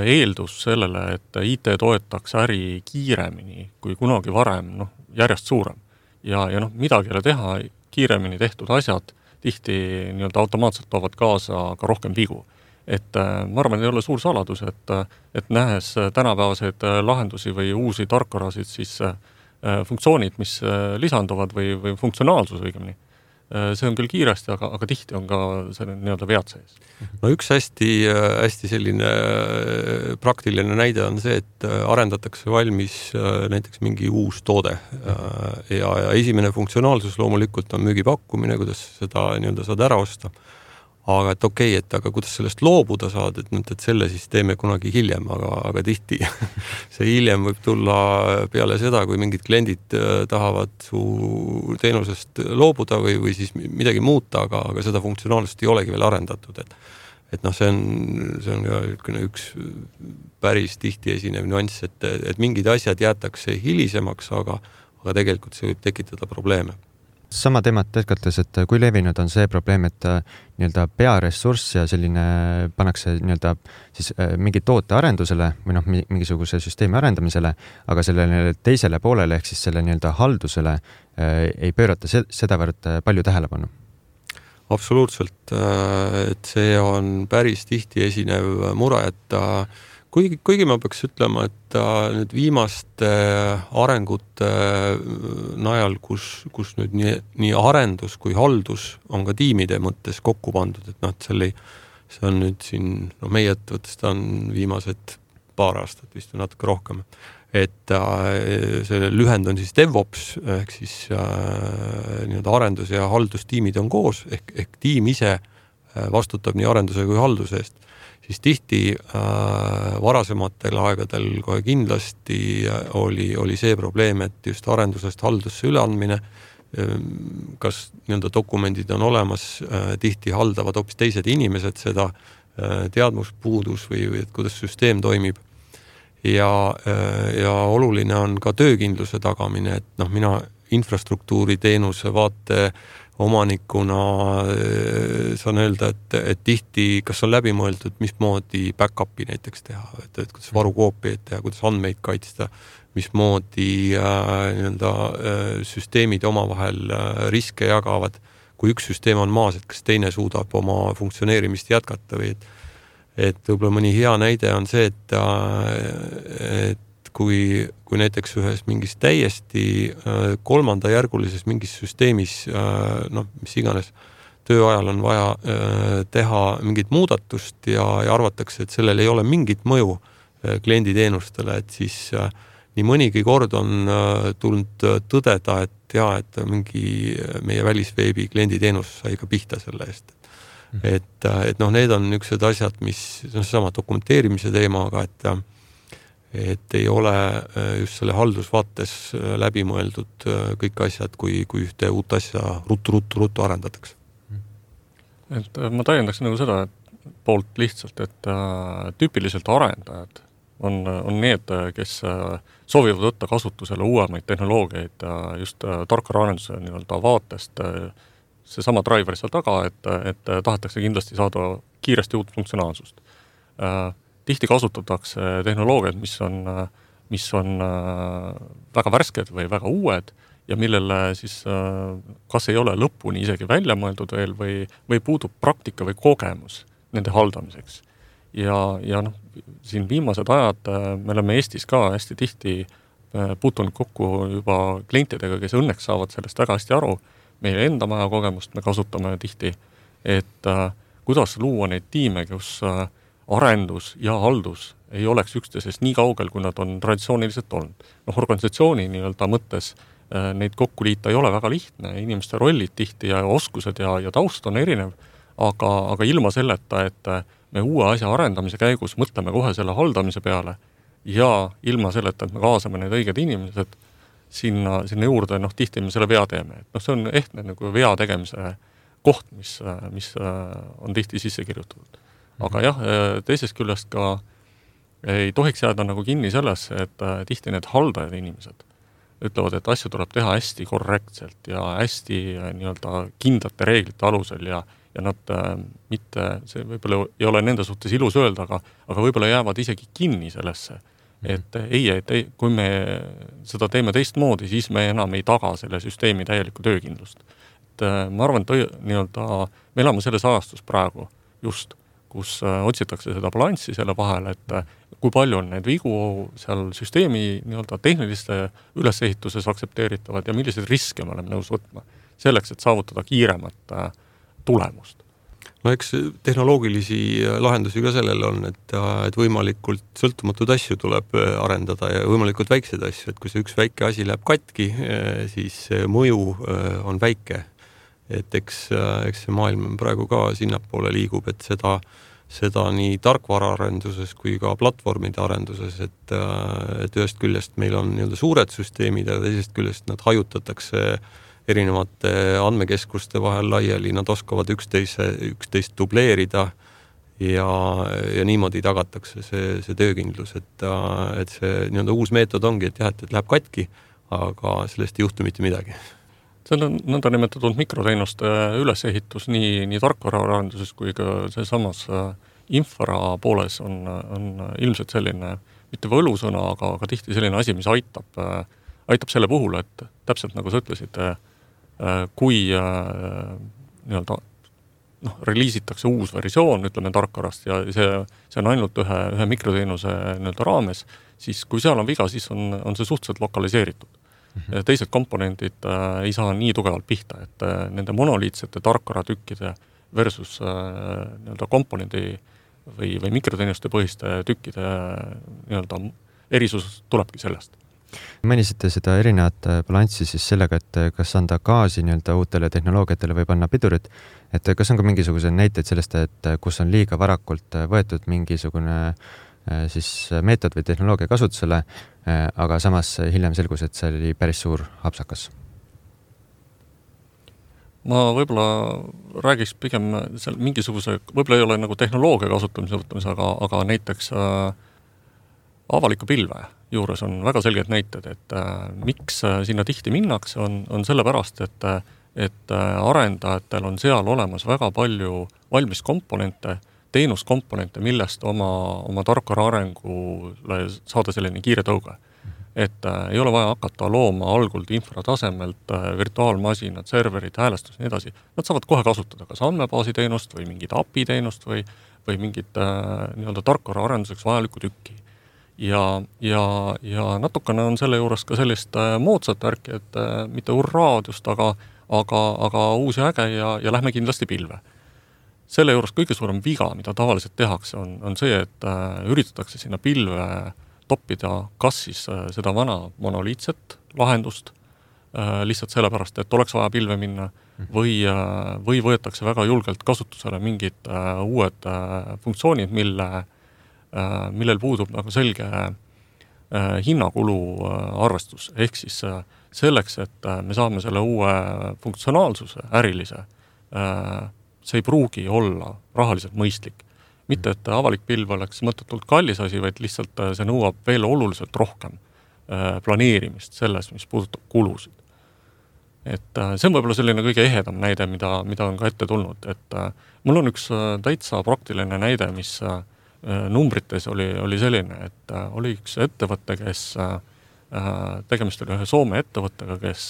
eeldus sellele, et I T toetaks äri kiiremini kui kunagi varem, noh, järjest suurem. Ja, ja noh, midagi ei ole teha, kiiremini tehtud asjad tihti nii-öelda automaatselt toovad kaasa ka rohkem vigu. Et ma arvan, ei ole suur saladus, et, et nähes tänapäevaseid lahendusi või uusi tarkvarasid, siis funktsioonid, mis lisanduvad või, või funktsionaalsus õigemini, see on küll kiiresti, aga, aga tihti on ka selle nii-öelda vead sees. No üks hästi, hästi selline praktiline näide on see, et arendatakse valmis näiteks mingi uus toode ja, ja esimene funktsionaalsus loomulikult on müügipakkumine, kuidas seda nii-öelda saad ära osta. Aga et okei, okay, et aga kuidas sellest loobuda saad, et, et selle siis teeme kunagi hiljem, aga, aga tihti see hiljem võib tulla peale seda, kui mingid kliendid tahavad su teenusest loobuda või, või siis midagi muuta, aga, aga seda funktsionaalsust ei olegi veel arendatud. Et, et noh, see on, see on ka üks päris tihti esinev nüanss, et, et mingid asjad jäetakse hilisemaks, aga, aga tegelikult see võib tekitada probleeme. Sama teemat jätkates, et kui levinud on see probleem, et nii-öelda pearessurss ja selline pannakse nii-öelda siis mingi toote arendusele või noh, mingisuguse süsteemi arendamisele, aga sellele teisele poolele ehk siis selle nii-öelda haldusele ei pöörata sedavõrd palju tähelepanu. Absoluutselt, et see on päris tihti esinev mure, et Kuigi, kuigi ma peaks ütlema, et nüüd viimaste arengute najal, kus, kus nüüd nii, nii arendus kui haldus on ka tiimide mõttes kokku pandud, et noh, et selle, see on nüüd siin, no meie ettevõttest on viimased paar aastat vist või natuke rohkem, et selle lühend on siis DevOps, ehk siis nii-öelda arendus- ja haldustiimid on koos, ehk, ehk tiim ise vastutab nii arenduse kui halduse eest. Siis tihti äh, varasematel aegadel kohe kindlasti oli, oli see probleem, et just arendusest haldusse üleandmine, kas nii-öelda dokumendid on olemas, äh, tihti haldavad hoopis teised inimesed seda äh, teadmuspuudus või, või et kuidas süsteem toimib. Ja, äh, ja oluline on ka töökindluse tagamine, et noh, mina infrastruktuuri teenuse vaate omanikuna saan öelda, et, et tihti, kas on läbi mõeldud, mismoodi back-upi näiteks teha, et, et kuidas varukoopiaid teha, kuidas andmeid kaitsta, mismoodi äh, nii-öelda, äh, süsteemid omavahel äh, riske jagavad, kui üks süsteem on maas, et kas teine suudab oma funktsioneerimist jätkata või et, et võib-olla mõni hea näide on see, et, äh, et kui, kui näiteks ühes mingis täiesti äh, kolmandajärgulises mingis süsteemis, äh, noh, mis iganes tööajal on vaja äh, teha mingit muudatust ja, ja arvatakse, et sellel ei ole mingit mõju äh, klienditeenustele, et siis äh, nii mõnigi kord on äh, tulnud tõdeda, et jaa, et mingi meie välisveebi klienditeenus sai ka pihta selle eest. Mm. Et, et noh, need on niisugused asjad, mis on sama dokumenteerimise teemaga, et et ei ole just selle haldusvaates läbi mõeldud kõik asjad, kui, kui ühte uut asja ruttu-ruttu-ruttu arendatakse. Et ma täiendaks nagu seda et poolt lihtsalt, et tüüpiliselt arendajad on, on need, kes soovivad võtta kasutusele uuemaid tehnoloogiaid just tarkvaraarenduse nii-öelda vaatest. See sama driver seal taga, et, et tahetakse kindlasti saada kiiresti uut funktsionaalsust. Tihti kasutatakse tehnoloogiad, mis on, mis on väga värsked või väga uued ja millele siis kas ei ole lõpuni isegi välja mõeldud veel või, või puudub praktika või kogemus nende haldamiseks. Ja, ja noh, siin viimased ajad me oleme Eestis ka hästi tihti puutunud kokku juba klientidega, kes õnneks saavad sellest väga hästi aru. Meie enda maja kogemust me kasutame tihti, et kuidas luua neid tiime, kus arendus ja haldus ei oleks üksteisest nii kaugel, kui nad on traditsiooniliselt olnud. Noh, organisatsiooni nii-öelda mõttes neid kokku liita ei ole väga lihtne, inimeste rollid tihti ja oskused ja, ja taust on erinev, aga, aga ilma selleta, et me uue asja arendamise käigus mõtleme kohe selle haldamise peale ja ilma selleta, et me kaasame need õiged inimesed, sinna, sinna juurde, noh, tihti me selle vea teeme. Et noh, see on ehtne nagu vea tegemise koht, mis, mis on tihti sisse kirjutatud. Aga jah, teisest küljest ka ei tohiks jääda nagu kinni sellesse, et tihti need haldajad inimesed ütlevad, et asju tuleb teha hästi korrektselt ja hästi nii-öelda kindlate reeglite alusel ja, ja nad mitte, see võib-olla ei ole nende suhtes ilus öelda, aga, aga võib-olla jäävad isegi kinni sellesse. Et ei, et ei, kui me seda teeme teistmoodi, siis me enam ei taga selle süsteemi täielikku töökindlust. Et ma arvan, et nii-öelda, me elame selles ajastus praegu just, kus otsitakse seda balanssi selle vahel, et kui palju on need vigu seal süsteemi nii-öelda tehniliste ülesehituses aktsepteeritavad ja milliseid riske me oleme nõus võtma selleks, et saavutada kiiremat tulemust. No eks tehnoloogilisi lahendusi ka sellel on, et, et võimalikult sõltumatud asju tuleb arendada ja võimalikult väikseid asju, et kui see üks väike asi läheb katki, siis mõju on väike. Et eks, eks see maailm praegu ka sinnapoole liigub, et seda, seda nii tarkvaraarenduses kui ka platvormide arenduses, et, et ühest küljest meil on nii-öelda suured süsteemid ja teisest küljest nad hajutatakse erinevate andmekeskuste vahel laiali, nad oskavad üksteise, üksteist dubleerida ja, ja niimoodi tagatakse see, see töökindlus, et, et see nii-öelda uus meetod ongi, et jah, et, et läheb katki, aga sellest ei juhtu mitte midagi. See on nõnda nimetatud mikroteenuste ülesehitus nii, nii tarkvaraarenduses kui ka see samas infra pooles on, on ilmselt selline, mitte võlusõna, aga, aga tihti selline asi, mis aitab, aitab selle puhul, et täpselt nagu sa ütlesid, kui nii-öelda noh, reliisitakse uus versioon, ütleme tarkvarast ja see, see on ainult ühe, ühe mikroteenuse nii-öelda raames, siis kui seal on viga, siis on, on see suhteliselt lokaliseeritud. Ja teised komponendid äh, ei saa nii tugevalt pihta, et äh, nende monoliitsete tarkvaratükkide versus äh, nii-öelda komponendi või, või mikroteenuste põhiste tükkide nii-öelda erisus tulebki sellest. Mõnisite seda erinevat balanssi siis sellega, et kas anda gaasi nii-öelda uutele tehnoloogiatele või panna pidurit, et kas on ka mingisugused näiteid sellest, et kus on liiga varakult võetud mingisugune siis meetod või tehnoloogia kasutusele, aga samas hiljem selgus, et see oli päris suur hapsakas. Ma võib-olla räägiks pigem seal mingisuguse, võib-olla ei ole nagu tehnoloogia kasutamise võtmise, aga, aga näiteks äh, avaliku pilve juures on väga selged näited, et äh, miks sinna tihti minnakse, on, on sellepärast, et, et arendajatel on seal olemas väga palju valmis komponente, teenuskomponente, millest oma, oma tarkvara arengule saada selline kiire tõuge. Et äh, ei ole vaja hakata looma algult infratasemelt äh, virtuaalmasinad, serverid, häälestus ja nii edasi. Nad saavad kohe kasutada kas andmebaasi teenust või mingit A P I teenust või, või mingit äh, nii-öelda tarkvara arenduseks vajalikku tükki. Ja, ja, ja natukene on selle juures ka sellist äh, moodsat värki, et äh, mitte urraadust, aga, aga, aga uusi äge ja, ja lähme kindlasti pilve. Selle juures kõige suurem viga, mida tavaliselt tehakse, on, on see, et äh, üritatakse sinna pilve toppida kas siis äh, seda vana monoliitset lahendust äh, lihtsalt sellepärast, et oleks vaja pilve minna või, äh, või võetakse väga julgelt kasutusele mingid äh, uued äh, funktsioonid, mille, äh, millel puudub nagu selge äh, hinnakulu äh, arvestus. Ehk siis äh, selleks, et äh, me saame selle uue funktsionaalsuse ärilise äh, see ei pruugi olla rahaliselt mõistlik. Mitte, et avalik pilv oleks mõttetult kallis asi, vaid lihtsalt see nõuab veel oluliselt rohkem planeerimist selles, mis puudutab kulusid. Et see on võib-olla selline kõige ehedam näide, mida, mida on ka ette tulnud. Et mul on üks täitsa praktiline näide, mis numbrites oli, oli selline, et oli üks ettevõte, kes tegemist oli ühe Soome ettevõttega, kes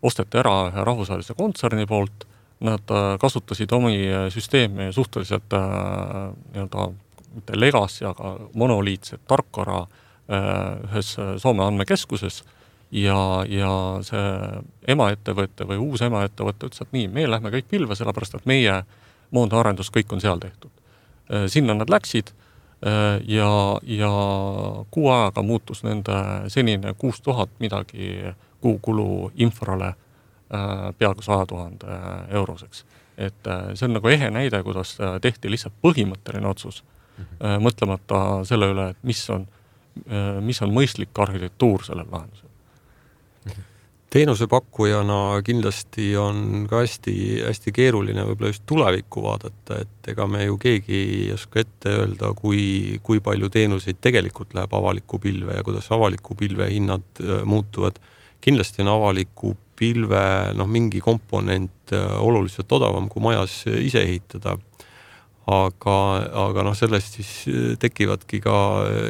osteti ära ühe rahvusvahelise kontserni poolt, nad kasutasid omi süsteemi suhteliselt nii-öelda mitte legacy, aga monoliitset tarkvara ühes Soome andmekeskuses ja, ja see emaettevõtte või uus emaettevõtte ütles, et nii, me lähme kõik pilve, sellepärast et meie moondaarendus kõik on seal tehtud. Sinna nad läksid ja, ja kuu ajaga muutus nende senine kuus tuhat midagi kuukulu infrale peaaegu sada tuhat euroseks. Et see on nagu ehe näide, kuidas tehti lihtsalt põhimõtteline otsus, mm-hmm. mõtlemata selle üle, et mis on, mis on mõistlik arhitektuur sellel lahendusel. Teenusepakkujana kindlasti on ka hästi, hästi keeruline võib-olla just tulevikku vaadata, et ega me ju keegi ei oska ette öelda, kui, kui palju teenuseid tegelikult läheb avaliku pilve ja kuidas avaliku pilve hinnad muutuvad. Kindlasti on avaliku pilve noh, mingi komponent oluliselt odavam kui majas ise ehitada. Aga, aga noh, sellest siis tekivadki ka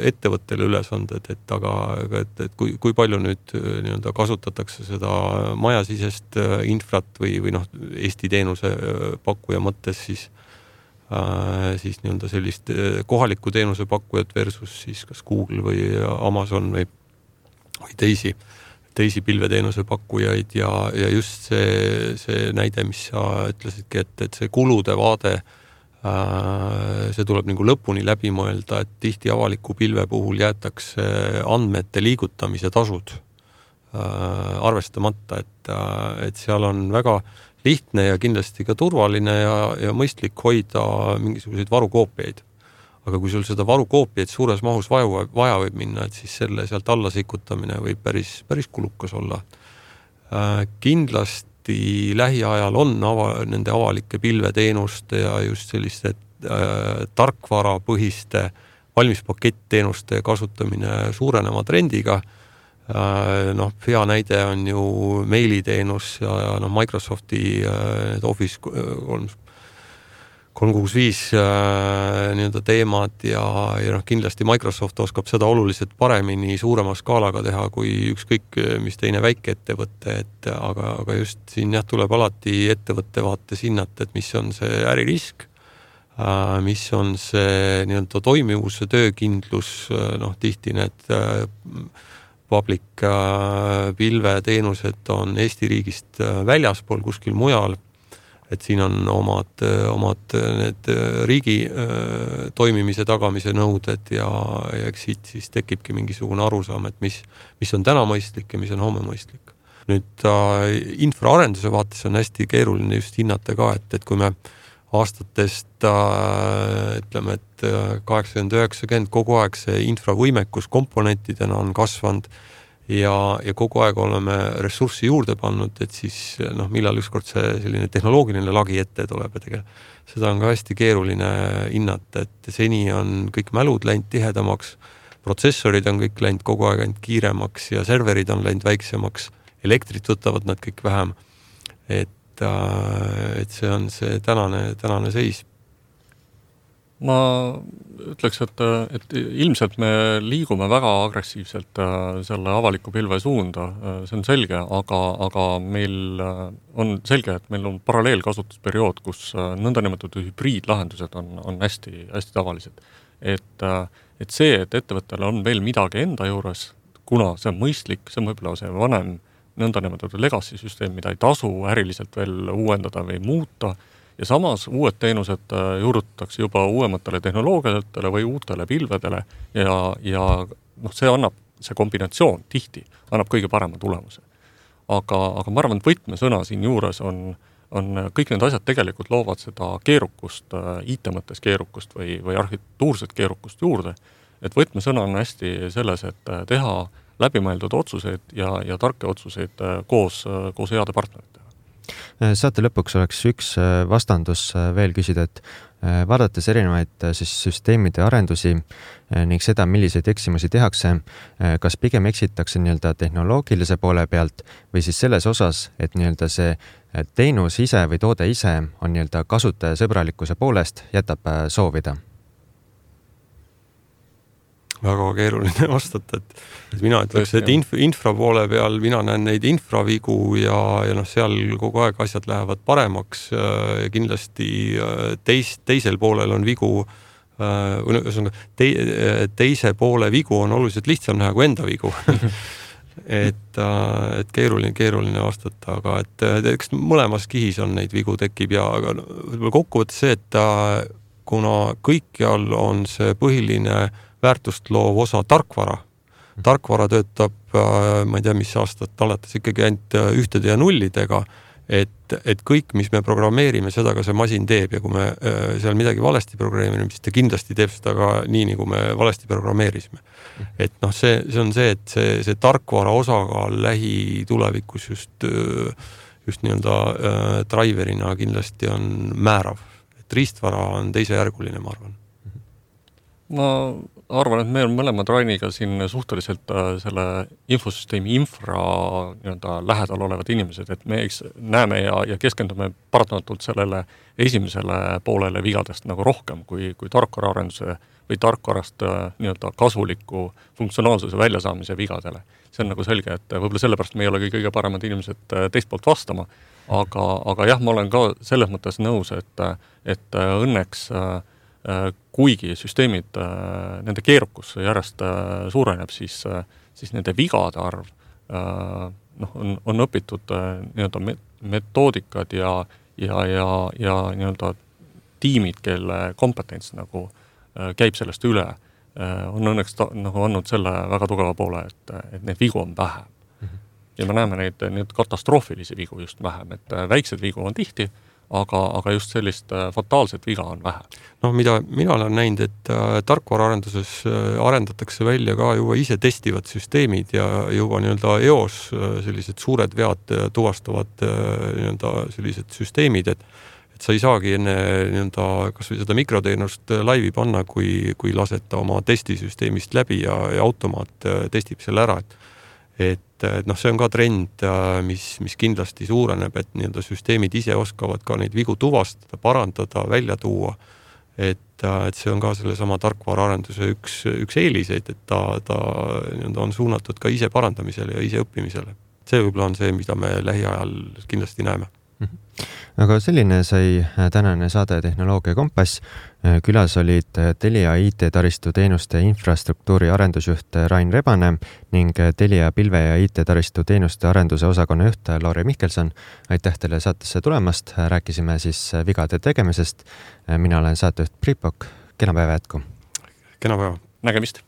ettevõttele ülesanded, et, aga, et, et kui, kui palju nüüd nii-öelda kasutatakse seda majasisest infrat või, või noh, Eesti teenuse pakkuja mõttes siis, äh, siis nii-öelda sellist kohalikku teenuse pakkujat versus siis kas Google või Amazon või, või teisi, teisi pilveteenuse pakkujaid ja, ja just see, see näide, mis sa ütlesidki, et, et see kulude vaade see tuleb nagu lõpuni läbi mõelda, et tihti avaliku pilve puhul jäetakse andmete liigutamise tasud arvestamata, et, et seal on väga lihtne ja kindlasti ka turvaline ja, ja mõistlik hoida mingisuguseid varukoopiaid. Aga kui sul seda varukoopiaid suures mahus vaja, vaja võib minna, et siis selle sealt alla sikutamine võib päris, päris kulukas olla. Kindlasti lähiajal on ava, nende avalike pilveteenuste ja just selliste äh, tarkvarapõhiste valmispaketteenuste kasutamine suurenema trendiga. Äh, noh, hea näide on ju meiliteenus ja, ja noh, Microsofti äh, Office kolm kuuskümmend viis äh, nii-öelda teemad ja, ja noh, kindlasti Microsoft oskab seda oluliselt paremini suurema skaalaga teha kui ükskõik mis teine väike ettevõtte, et aga, aga just siin jah, tuleb alati ettevõtte vaates hinnata, et mis on see äririsk, äh, mis on see nii-öelda toimivuse töökindlus, noh, tihti need äh, public äh, pilveteenused on Eesti riigist äh, väljaspool kuskil mujal, et siin on omad, omad need riigi äh, toimimise tagamise nõuded ja, ja eks siit siis tekibki mingisugune arusaam, et mis, mis on täna mõistlik ja mis on homme mõistlik. Nüüd äh, infraarenduse vaates on hästi keeruline just hinnata ka, et, et kui me aastatest äh, ütleme, et kaheksakümmend üheksakümmend kogu aeg see infravõimekus komponentidena on kasvanud ja, ja kogu aeg oleme ressurssi juurde pannud, et siis noh, millal ükskord see selline tehnoloogiline lagi ette tuleb, et seda on ka hästi keeruline hinnata, et seni on kõik mälud läinud tihedamaks, protsessorid on kõik läinud kogu aeg ainult kiiremaks ja serverid on läinud väiksemaks, elektrit võtavad nad kõik vähem, et, et see on see tänane, tänane seis. Ma ütleks, et, et ilmselt me liigume väga agressiivselt selle avaliku pilve suunda, see on selge, aga, aga meil on selge, et meil on paralleelkasutusperiood, kus nõndanimetatud hübriidlahendused on, on hästi, hästi tavalised. Et, et see, et ettevõttele on veel midagi enda juures, kuna see on mõistlik, see on võib-olla see vanem nõndanimetatud legacy süsteem, mida ei tasu äriliselt veel uuendada või muuta, ja samas uued teenused juurutatakse juba uuematele tehnoloogiatele või uutele pilvedele ja, ja noh, see annab, see kombinatsioon tihti annab kõige parema tulemuse. Aga, aga ma arvan, et võtmesõna siin juures on, on kõik need asjad tegelikult loovad seda keerukust, I T mõttes keerukust või, või arhitektuurset keerukust juurde. Et võtmesõna on hästi selles, et teha läbimõeldud otsuseid ja, ja tarke otsuseid koos, koos heade partneritega. Saate lõpuks oleks üks vastandus veel küsida, et vaadates erinevaid siis süsteemide arendusi ning seda, milliseid eksimusi tehakse, kas pigem eksitakse nii-öelda tehnoloogilise poole pealt või siis selles osas, et nii-öelda see teenus ise või toode ise on nii-öelda kasutajasõbralikkuse poolest jätab soovida? Väga keeruline vastata, et, et mina ütleks, et inf, infra poole peal mina näen neid infravigu ja, ja noh, seal kogu aeg asjad lähevad paremaks ja kindlasti teis, teisel poolel on vigu, te, teise poole vigu on oluliselt lihtsam näha kui enda vigu. et, et keeruline, keeruline vastata, aga et, et eks mõlemas kihis on neid vigu tekib ja aga no, kokkuvõttes see, et kuna kõikjal on see põhiline väärtust loov osa tarkvara. Tarkvara töötab, ma ei tea, mis aastat alates ikkagi ainult ühtede ja nullidega et, et kõik, mis me programmeerime, seda ka see masin teeb ja kui me seal midagi valesti programmeerime, siis ta kindlasti teeb seda ka nii, nagu me valesti programmeerisime. Et noh, see, see on see, et see, see tarkvara osakaal lähitulevikus just, just nii-öelda äh, driverina kindlasti on määrav. Et riistvara on teisejärguline, ma arvan. Ma arvan, et me on mõlemad Rainiga siin suhteliselt selle infosüsteemi infra nii-öelda lähedal olevad inimesed, et me näeme ja, ja keskendume paratamatult sellele esimesele poolele vigadest nagu rohkem kui, kui tarkvaraarenduse või tarkvarast nii-öelda kasuliku funktsionaalsuse väljasaamise vigadele. See on nagu selge, et võib-olla sellepärast me ei ole kõige paremad inimesed teist poolt vastama, aga, aga jah, ma olen ka selles mõttes nõus, et, et õnneks kuigi süsteemid, nende keerukus järjest suureneb, siis, siis nende vigade arv noh, on, on õpitud nii-öelda metoodikad ja, ja, ja, ja nii-öelda tiimid, kelle kompetents nagu käib sellest üle, on õnneks ta, nagu andnud selle väga tugeva poole, et, et neid vigu on vähem. Ja me näeme neid, neid katastroofilisi vigu just vähem, et väiksed vigu on tihti, aga, aga just sellist fataalset viga on vähe. No mida mina olen näinud, et äh, tarkvaraarenduses äh, arendatakse välja ka juba ise testivad süsteemid ja juba nii-öelda eos äh, sellised suured vead äh, tuvastavad äh, nii-öelda sellised süsteemid, et, et sa ei saagi enne nii-öelda kas või seda mikroteenust laivi panna, kui, kui laseta oma testisüsteemist läbi ja, ja automaat äh, testib selle ära, et et, et noh, see on ka trend, mis, mis kindlasti suureneb, et nii-öelda süsteemid ise oskavad ka neid vigu tuvastada, parandada, välja tuua, et, et see on ka selle sama tarkvaraarenduse üks, üks eeliseid, et ta, ta nii-öelda on suunatud ka ise parandamisele ja ise õppimisele. See võib-olla on see, mida me lähiajal kindlasti näeme. Aga selline sai tänane saade Tehnoloogia Kompass. Külas olid Telia I T-taristu teenuste infrastruktuuri arendusjuht Rain Rebane ning Telia pilve ja I T-taristu teenuste arenduse osakonna juht Lauri Mihkelson. Aitäh teile saatesse tulemast. Rääkisime siis vigade tegemisest. Mina olen saatejuht Priit Pokk. Kena päeva jätku. Kena päeva. Nägemist.